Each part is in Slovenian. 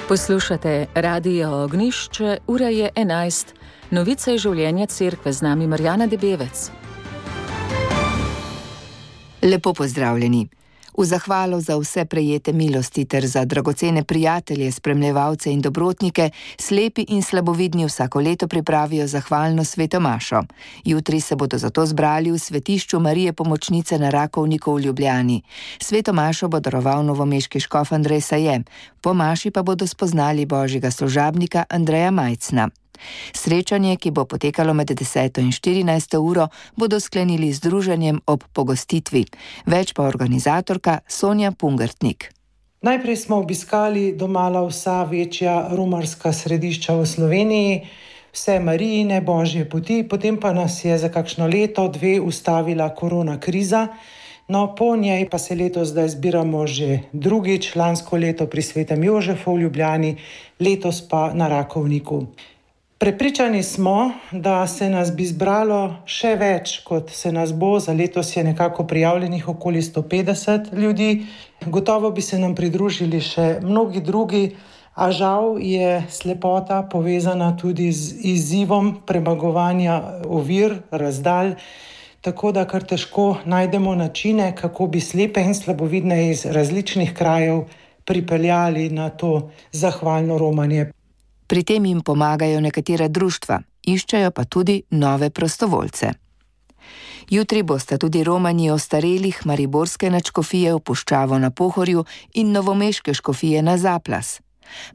Poslušate Radio Ognjišče, ura je 11. Novice življenja cerkve, z nami Marjana Debevec. Lepo pozdravljeni. V zahvalo za vse prejete milosti ter za dragocene prijatelje, spremljevalce in dobrotnike, slepi in slabovidni vsako leto pripravijo zahvalno sveto mašo. Jutri se bodo zato zbrali v svetišču Marije Pomočnice na Rakovniku v Ljubljani. Sveto mašo bo daroval novomeški škof Andrej Saje. Po maši pa bodo spoznali božjega služabnika Andreja Majcna. Srečanje, ki bo potekalo med 10. in 14. uro, bodo sklenili z druženjem ob pogostitvi. Več pa organizatorka Sonja Pungertnik. Najprej smo obiskali domala vsa večja romarska središča v Sloveniji, vse Marijine božje poti, potem pa nas je za kakšno leto, dve ustavila korona kriza. No, po njej pa se letos zdaj zbiramo že drugič, lansko leto pri Svetem Jožefu v Ljubljani, letos pa na Rakovniku. Prepričani smo, da se nas bi zbralo še več, kot se nas bo. Za letos je nekako prijavljenih okoli 150 ljudi. Gotovo bi se nam pridružili še mnogi drugi, a žal je slepota povezana tudi z izzivom premagovanja ovir, razdalj, tako da kar težko najdemo načine, kako bi slepe in slabovidne iz različnih krajev pripeljali na to zahvalno romanje. Pri tem jim pomagajo nekatera društva, iščejo pa tudi nove prostovoljce. Jutri bosta tudi romani ostarelih mariborske nadškofije v Puščavo na Pohorju in novomeške škofije na Zaplas.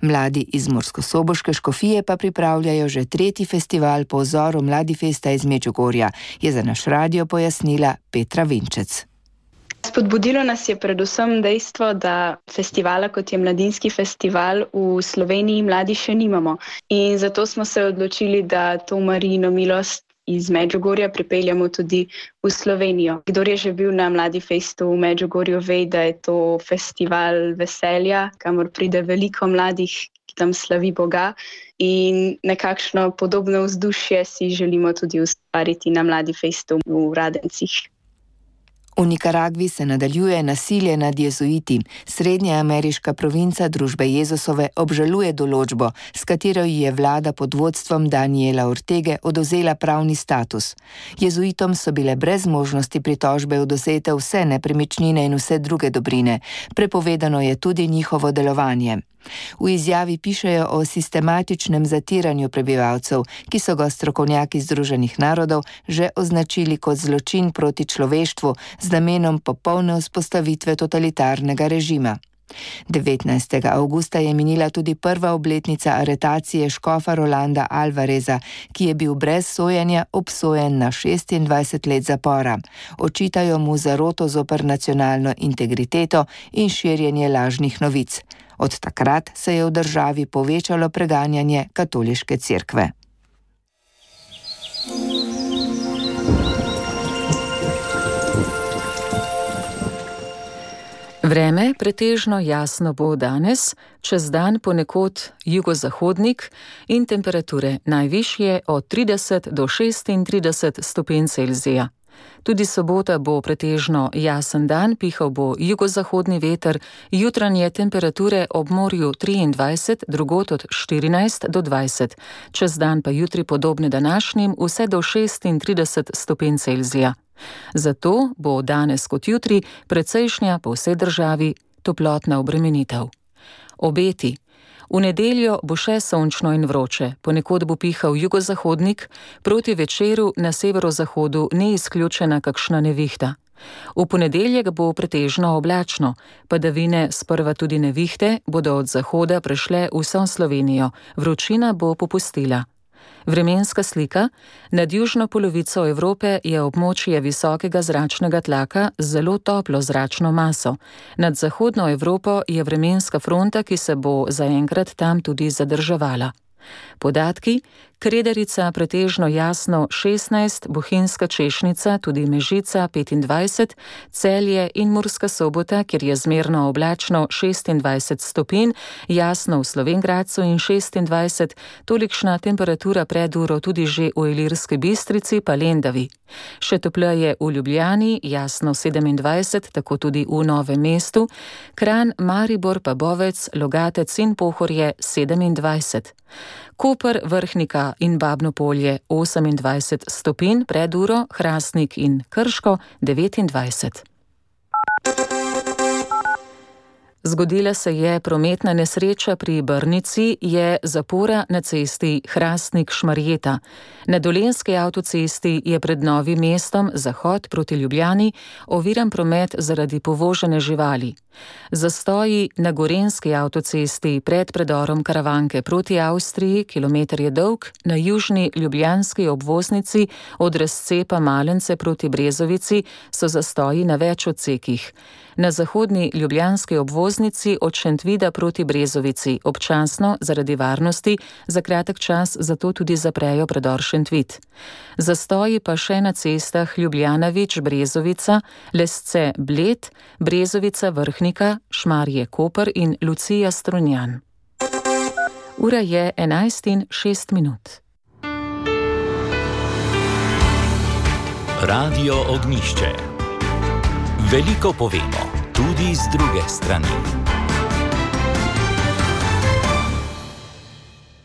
Mladi iz murskosoboške škofije pa pripravljajo že 3. festival po vzoru Mladifesta iz Medžugorja, je za naš radio pojasnila Petra Vinčec. Spodbudilo nas je predvsem dejstvo, da festivala, kot je Mladinski festival, v Sloveniji mladi še nimamo. In zato smo se odločili, da to Marijino milost iz Medžugorja pripeljamo tudi v Slovenijo. Kdor je že bil na Mladifestu v Medžugorju, ve, da je to festival veselja, kamor pride veliko mladih, ki tam slavi Boga. In nekakšno podobno vzdušje si želimo tudi ustvariti na Mladifestu v Radencih. V Nikaragvi se nadaljuje nasilje nad jezuiti. Srednjeameriška provinca Družbe Jezusove obžaluje določbo, s katero ji je vlada pod vodstvom Daniela Ortege odvzela pravni status. Jezuitom so bile brez možnosti pritožbe odvzete vse nepremičnine in vse druge dobrine. Prepovedano je tudi njihovo delovanje. V izjavi pišejo o sistematičnem zatiranju prebivalcev, ki so ga strokovnjaki Združenih narodov že označili kot zločin proti človeštvu z namenom popolne vzpostavitve totalitarnega režima. 19. avgusta je minila tudi prva obletnica aretacije škofa Rolanda Alvareza, ki je bil brez sojenja obsojen na 26 let zapora. Očitajo mu zaroto zoper nacionalno integriteto in širjenje lažnih novic. Od takrat se je v državi povečalo preganjanje katoliške cerkve. Vreme pretežno jasno bo danes, čez dan ponekod jugozahodnik in temperature najvišje od 30 do 36 stopinj Celzija. Tudi sobota bo pretežno jasen dan, pihal bo jugozahodni veter, jutranje temperature ob morju 23, drugod od 14 do 20, čez dan pa jutri podobne današnjim vse do 36 stopinj Celzija. Zato bo danes kot jutri precejšnja po vsej državi toplotna obremenitev. Obeti. V nedeljo bo še sončno in vroče, ponekod bo pihal jugozahodnik, proti večeru na severozahodu ni izključena kakšna nevihta. V ponedeljek bo pretežno oblačno, padavine, sprva tudi nevihte, bodo od zahoda prešle vso Slovenijo, vročina bo popustila. Vremenska slika. Nad južno polovico Evrope je območje visokega zračnega tlaka z zelo toplo zračno maso. Nad zahodno Evropo je vremenska fronta, ki se bo zaenkrat tam tudi zadrževala. Podatki. Kredarica pretežno jasno 16, Bohinjska Češnica, tudi Mežica 25, Celje in Murska Sobota, kjer je zmerno oblačno 26 stopinj, jasno v Slovenj Gradcu in 26, tolikšna temperatura pred uro tudi že v Ilirski Bistrici pa Lendavi. Še topleje v Ljubljani, jasno 27, tako tudi v Novem mestu, Kranj, Maribor pa Bovec, Logatec in Pohorje 27. Koper, Vrhnika in Babno Polje 28 stopinj pred uro, Hrastnik in Krško 29. Zgodila se je prometna nesreča pri Brnici, je zapora na cesti Hrastnik-Šmarjeta. Na Dolenjski avtocesti je pred Novim mestom zahod proti Ljubljani oviran promet zaradi povožene živali. Zastoji na Gorenjski avtocesti pred predorom Karavanke proti Avstriji, kilometer je dolg, na južni ljubljanski obvoznici od razcepa Malence proti Brezovici so zastoji na več odsekih. Na zahodni ljubljanski obvoznici od Šentvida proti Brezovici občasno zaradi varnosti za kratek čas zato tudi zaprejo predor Šentvid. Zastoji pa še na cestah Ljubljana-Vič-Brezovica, Lesce-Bled, Brezovica-Vrhnika, Šmarje-Koper in Lucija-Strunjan. Ura je 11:06. Radio Ognjišče. Veliko povemo, tudi z druge strani.